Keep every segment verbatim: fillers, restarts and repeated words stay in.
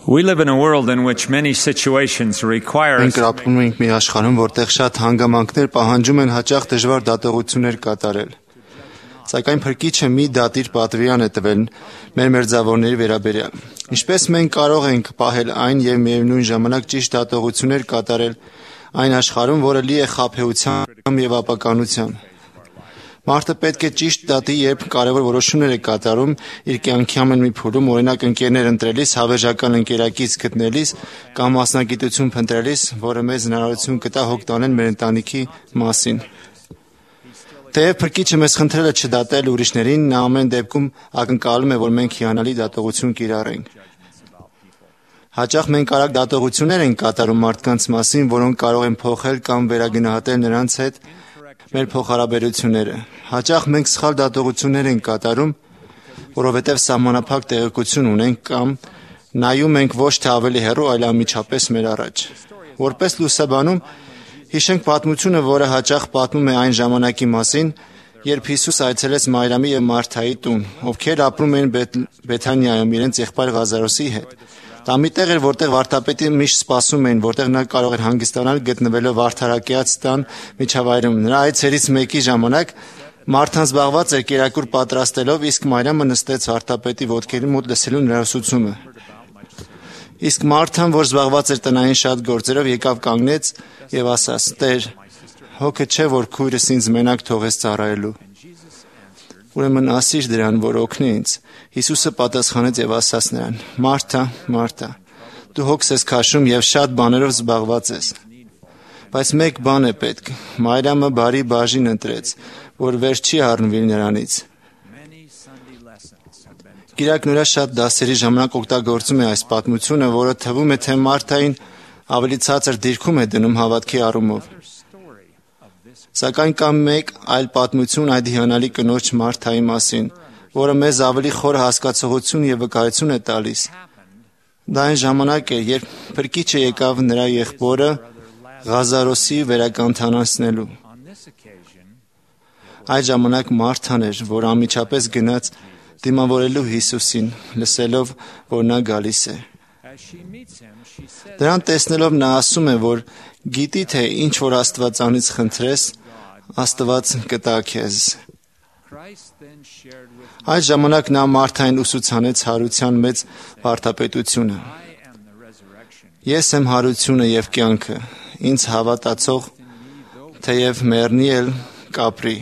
We live in a world in which many situations require us Մենք ապրում ենք մի աշխարհում, որտեղ շատ հանգամանքներ պահանջում են հաճախ դժվար դատողություններ կատարել։ Սակայն Փրկիչը մի դատիր պատվիրան է տվել մեր մերձավորների վերաբերյալ։ Ինչպես մենք կարող ենք պահել այն եւ միևնույն ժամանակ ճիշտ դատողություններ կատարել այն աշխարհում, որը լի է խաբեությամբ եւ ապականությամբ։ Մարդը պետք է ճիշտ դատի, երբ կարևոր որոշումներ է կատարում իր կյանքի ամեն մի փուլում, օրինակ ընկերներ ընտրելիս, հավերժական ընկերակից գտնելիս կամ մասնագիտություն փնտրելիս, որը մեզ հնարավորություն կտա հոգ տանել մեր ընտանիքի մասին։ Թեև Փրկիչը մեզ խնդրել է չդատել ուրիշներին, նա ամեն դեպքում ակնկալում է, որ մենք հիանալի դատողություն կիրառենք։ Հաճախ մենք արագ դատողություններ ենք կատարում մարդկանց մասին, որոնք կարող են փոխել կամ վերագնահատել նրանց հետ մեր փոխհարաբերությունները։ Հաճախ մենք սխալ դատողություններ ենք կատարում, որովհետև սահմանափակ տեղեկություն ունենք կամ նայում ենք ոչ թե ավելի հեռու, այլ անմիջապես մեր առաջ։ Որպես լուսաբանում, հիշենք պատմությունը, որը հաճախ պատմում է այն ժամանակի մասին, երբ Հիսուս այցելեց Մարիամի և Մարթայի տուն, ովքեր ապրում էին Բեթանիայում իրենց եղբայր Ղազարոսի հետ։ Դա մի տեղ էր, որտեղ վարդապետը միշտ սպասում էին, որտեղ նա կարող էր հանգստանալ գտնվելով վարդարակյաց տան միջավայրում։ Նրա այցերից մեկի ժամանակ Մարթան զբաղված էր կերակուր պատրաստելով, իսկ Մարիամը նստեց վարդապետի ոտքերի մոտ լսելու նրա ուսուցումը։ Իսկ Մարթան, որ զբաղված էր տնային շատ գործերով, եկավ կանգնեց եւ ասաց. «Տեր, հոգը չէ, որ քույրս ինձ մենակ թողես ծառայելու։ Ուրեմն ասիր դրան, որ օգնի ինձ»։ Հիսուսը պատասխանեց եւ ասաց նրան. «Մարթա, Մարթա, դու հոգս ես քաշում եւ շատ բաներով զբաղված ես, բայց մեկ բան է պետք։ Մարիամը բարի բաժին ընտրեց, որ վեր չի առնվի նրանից»։ Գիրակն ուրա շատ դասերի ժամանակ օգտագործում է այս պատմությունը, որը թվում է, թե Մարթային ավելի ցածր դիրքում է դնում հավատքի առումով։ Սակայն կա մեկ այլ պատմություն այդ հիանալի կնոջ Մարթայի մասին, որը մեզ ավելի խոր հասկացողություն եւ վկայություն է տալիս։ Դա այն ժամանակ էր, երբ Փրկիչը եկավ նրա եղբորը Ղազարոսի վերակենդանացնելու։ Այդ ժամանակ Մարթան էր, որ անմիջապես գնաց դիմավորելու Հիսուսին, լսելով, որ նա գալիս է։ Դրան տեսնելով նա ասում է, որ գիտի, թե ինչ որ Աստվածանից խնդրես, Աստված կտա քեզ։ Այդ ժամանակ նա Մարթային ուսուցանեց հարության մեծ վարդապետությունը։ Ես եմ հարությունը եւ կյանքը, ինձ հավատացող, թեև մեռնի էլ կապրի։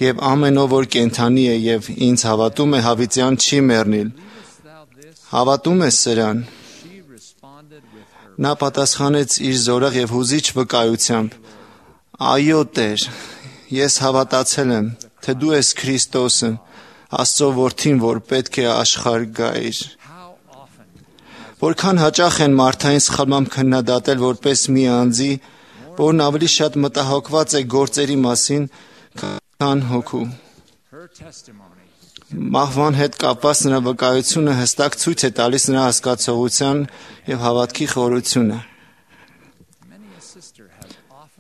Եվ ամեն ով որ կենդանի է եւ ինձ հավատում է, հավիտյան չի մեռնիլ։ Հավատում ես սրան։ Նա պատասխանեց իր զորեղ եւ հուզիչ վկայությամբ. «Այո, Տեր, ես հավատացել եմ, թե դու ես Քրիստոսը, Աստծո որդին, որ պետք է աշխարհ գայր»։ Որքան հաճախ են Մարթային սխալմամբ քննադատել որպես մի անձի, որն ավելի շատ մտահոգված է գործերի մասին, քան հոգու։ Մահվան հետ կապված նրա վկայությունը հստակ ցույց է տալիս նրա հասկացողության եւ հավատքի խորությունը։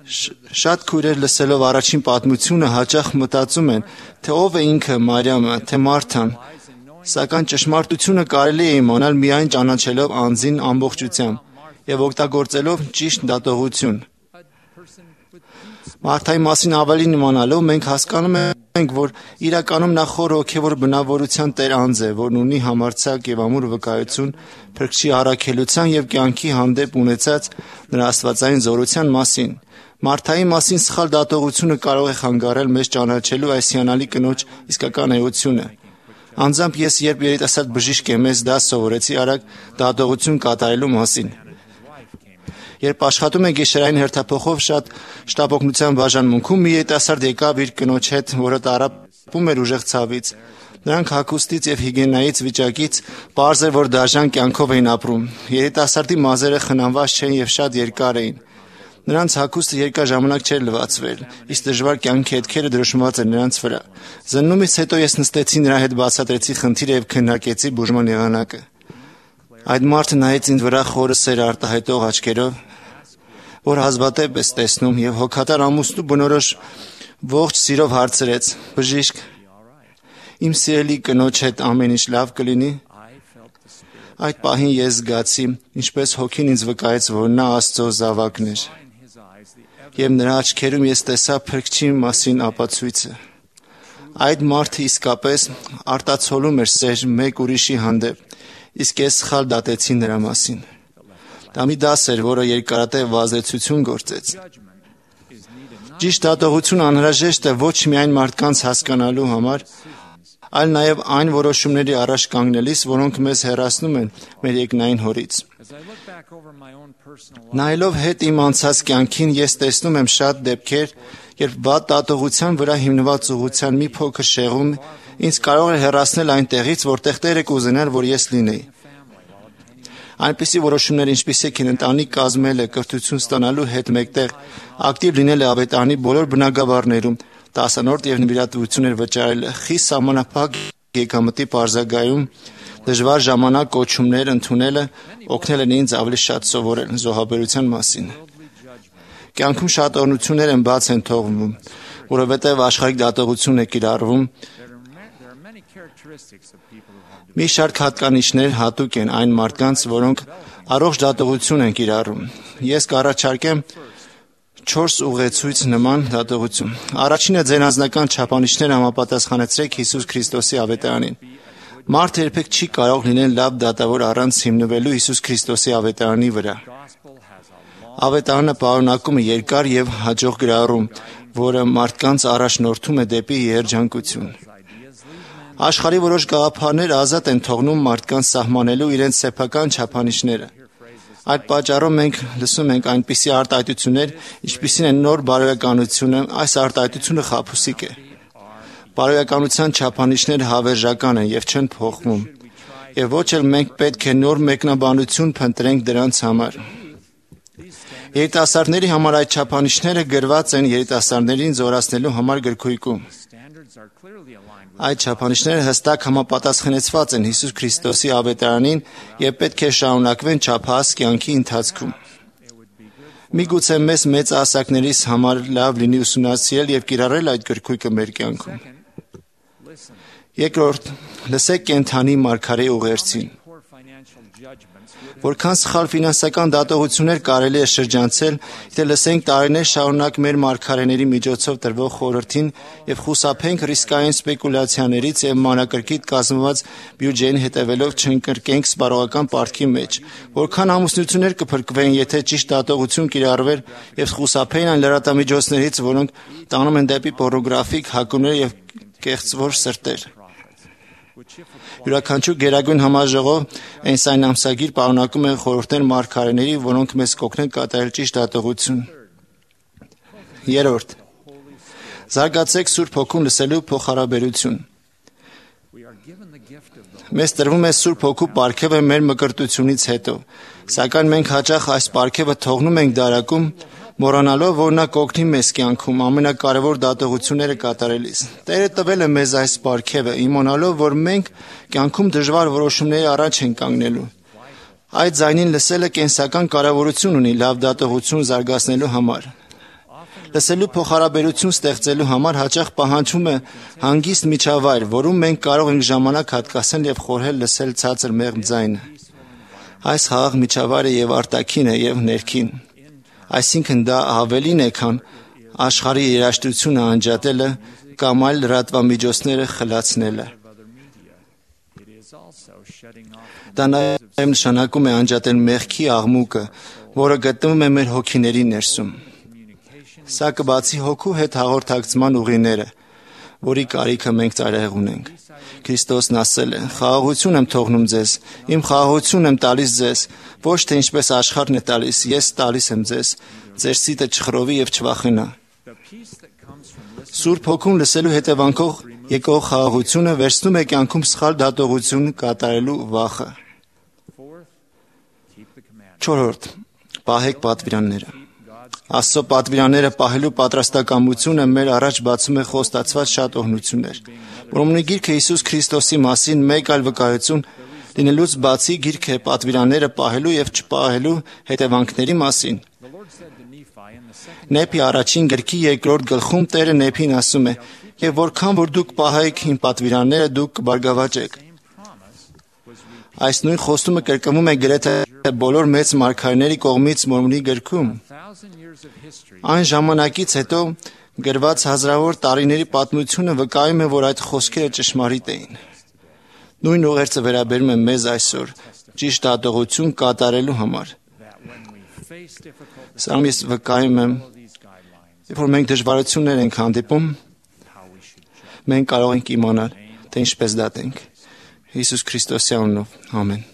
Շատ քույրեր լսելով առաջին պատմությունը հաճախ մտածում են, թե ով է ինքը Մարիամը, թե Մարթան, սակայն ճշմարտությունը կարելի է իմանալ միայն ճանաչելով անձին ամբողջությամբ եւ օգտագործելով ճիշտ դատողություն։ Մարթայի մասին ավելին իմանալով մենք հասկանում ենք, որ իրականում նա խոր հոգևոր բնավորության տեր անձ է, որն ունի համարձակ եւ ամուր վկայություն Փրկչի առաքելության եւ կյանքի հանդեպ ունեցած նրա աստվածային զորության մասին։ Մարթայի մասին սխալ դատողությունը կարող է խանգարել մեզ ճանաչելու այս հիանալի կնոջ իսկական էությունը։ Անձամբ ես երբ երիտասարդ բժիշկ եմ, ես դա սովորեցի արագ դատողություն կատարելու մասին։ Երբ աշխատում եք գիշերային հերթափոխով շատ շտապօգնության բաժանմունքում, մի երիտասարդ եկավ իր կնոջ հետ, որը տառապում էր ուժեղ ցավից։ Նրանք հագուստից եւ հիգիենայից վիճակից պարզ էր, որ դաժան կյանքով էին ապրում։ Երիտասարդի մազերը խնամված չէին եւ շատ երկար էին։ Նրանց հագուստը երկար ժամանակ չէր լվացվել, իսկ դժվար կյանքի հետքերը դրոշմված էր նրանց վրա։ Զննումից հետո ես նստեցի նրա հետ, բացատրեցի խնդիրը եւ քննարկեցի բուժման եղանակը։ Այդ մարդը նայեց ինձ վրա խորը սեր արտահայտող աչքերով, որ հազվադեպ ես տեսնում, եւ հոգատար ամուսնու բնորոշ ողջ սիրով հարցրեց. «Բժիշկ, իմ սիրելի կնոջ հետ ամեն ինչ լավ կլինի»։ Այդ պահին ես զգացի, ինչպես հոգին ինձ վկայեց, որ նա Աստծո զավակն էր, և նրա աչքերում ես տեսա Փրկչի մասին ապացույցը։ Այդ մարդը իսկապես արտացոլում էր սեր մեկ ուրիշի հանդեպ, իսկ ես սխալ դատեցի նրա մասին։ Դա մի դաս էր, որը երկարատև ազդեցություն գործեց։ Ճիշտ դատողություն անհրաժեշտ է ոչ միայն մարդկանց հասկանալու համար, այլ նաև այն որոշումների առաջ կանգնելիս, որոնք մեզ հեռացնում են մեր երկնային Հորից։ Նայելով հետ իմ անցած կյանքին, ես տեսնում եմ շատ դեպքեր, երբ վատ դատողության վրա հիմնված ուղղության մի փոքր շեղում ինձ կարող է հեռացնել այնտեղից, որտեղ Տերը կուզենար, որ ես լինեի։ Այնպիսի որոշումներ, ինչպիսիք են ընտանիք կազմելը, կրթություն ստանալու հետ մեկտեղ, ակտիվ լինելը ավետարանի բոլոր բնագավառներում, տասանորդ և նվիրատվություններ վճարելը, խիստ սահմանափակ եկամտի պարզագայում, դժվար ժամանակ կոչումներ ընդունելը օգնել են ինձ ավելի շատ սովորել զոհաբերության մասին։ Կյանքում շատ օրհնություններ են բաց են թողվում, որովհետև աշխարհիկ դատողություն է կիրառվում։ Մի շարք հատկանիշներ հատուկ են այն մարդկանց, որոնք առողջ դատողություն են կիրառում։ Ես կառաջարկեմ չորս ուղեցույց նման դատողություն։ Առաջինը ձեր անձնական չափանիշները համապատասխանեցրեք Հիսուս Քրիստոսի ավետարանին։ Մարդը երբեք չի կարող լինել լավ դատավոր առանց հիմնվելու Հիսուս Քրիստոսի ավետարանի վրա։ Ավետարանը պարունակում է երկար և հաջող գրառում, որը մարդկանց առաջնորդում է դեպի երջանկություն։ Աշխարհի որոշ գաղափարներ ազատ են թողնում մարդկանց սահմանելու իրենց սեփական չափանիշները։ Այդ պատճառով մենք լսում ենք այնպիսի արտահայտություններ, ինչպիսին է նոր բարոյականությունը, այս արտահայտությունը խաբուսիկ է։ Բարոյականության չափանիշները հավերժական են և չեն փոխվում, և ոչ էլ մենք պետք է նոր մեկնաբանություն փնտրենք դրանց համար։ Երիտասարդների համար այդ չափանիշները գրված են երիտասարդներին զորացնելու համար գրքույկում։ Այդ չափանիշները հստակ համապատասխանեցված են Հիսուս Քրիստոսի ավետարանին և պետք է շարունակվեն չափահաս կյանքի ընթացքում։ Միգուցե մեզ մեծահասակներիս համար լավ լինի ուսումնասիրել և կիրառել այդ գրքույկը մեր կյանքում։ Երկրորդ, լսեք կենդանի մարգարեի ուղերձին։ Որքան սխալ ֆինանսական դատողություններ կարելի է շրջանցել, եթե լսենք տարիներ շարունակ մեր մարգարեների միջոցով տրվող խորհրդին և խուսափենք ռիսկային սպեկուլյացիաներից և մանրակրկիտ կազմված բյուջեին հետևելով չընկրկենք սպառողական պարտքի մեջ։ Որքան ամուսնություններ կփրկվեին, եթե ճիշտ դատողություն կիրառվեր և խուսափեին այն լրատվամիջոցներից, որոնք տանում են դեպի պոռնոգրաֆիկ հակումներ և կեղծվոր սրտեր։ Յուրաքանչյուր գերագույն համաժողով Էնսայն ամսագիր պարունակում է խորհուրդներ մարգարեների, որոնք մեզ կօգնեն կատարել ճիշտ դատողություն։ Երրորդ. զարգացեք Սուրբ Հոգուն լսելու փոխհարաբերություն։ Մեզ տրվում է Սուրբ Հոգու պարգևը մեր մկրտությունից հետո, սակայն մենք հաճախ այս պարգևը թողնում ենք դարակում, մոռանալով, որ նա կօգնի մեզ կյանքում ամենակարևոր դատողությունները կատարելիս։ Տերը տվել է մեզ այս պարգևը, իմանալով, որ մենք կյանքում դժվար որոշումների առաջ ենք կանգնելու։ Այդ ձայնին լսելը կենսական կարևորություն ունի լավ դատողություն զարգացնելու համար։ Լսելու փոխհարաբերություն ստեղծելու համար հաճախ պահանջվում է հանգիստ միջավայր, որում մենք կարող ենք ժամանակ հատկացնել և խորհել լսել ցածր մեղմ ձայնը։ Այս խաղաղ միջավայրը և արտաքին է, և ներքին։ Այսինքն դա ավելին է, քան աշխարհի երաժշտությունը անջատելը կամ այլ լրատվամիջոցները խլացնելը։ Դա նաև նշանակում է անջատել մեղքի աղմուկը, որը գտնվում է մեր հոգիների ներսում։ Սա կբացի հոգու հետ հաղորդակցման ուղիները, որի կարիքը մենք ծայրահեղ ունենք։ Քրիստոսն ասել է. «Խաղաղություն եմ թողնում ձեզ, իմ խաղաղություն եմ տալիս ձեզ, ոչ թե ինչպես աշխարհն է տալիս, ես տալիս եմ ձեզ, ձեր սիտը չխռովի և չվախենա»։ Սուրբ Հոգուն լսելու հետևանքով եկող խաղաղությունը վերցնում է կյանքում սխալ դատողություն կատարելու վախը։ Չորրորդ. պահեք պատվիրանները։ Աստծո պատվիրանները պահելու պատրաստակամությունը մեր առաջ բացում է խոստացված շատ օրհնություններ։ Որոմնի գիրքը Հիսուս Քրիստոսի մասին մեկ այլ վկայություն լինելուց բացի գիրքը է պատվիրանները պահելու և չպահելու հետևանքների մասին։ Նեփի առաջին գրքի երկրորդ գլխում Տերը Նեփին ասում է. «Եվ որքան որ դուք պահեք իմ պատվիրանները, դուք կբարգավաճեք»։ Այս նույն խոստումը կրկնվում է գրեթե բոլոր մեծ մարգարեների կողմից Մորմոնի գրքում։ Այն ժամանակից հետո գրված հազարավոր տարիների պատմությունը վկայում է, որ այդ խոսքերը ճշմարիտ էին։ Նույն ուղերձը վերաբերում է մեզ այսօր ճիշտ դատողություն կատարելու համար։ Սրանով ես վկայում եմ, երբ որ մենք դժվարություններ ենք հանդիպում, մենք կարող ենք իմանալ, թե ինչպես դատենք։ Հիսուս Քրիստոսի անունով, ամեն։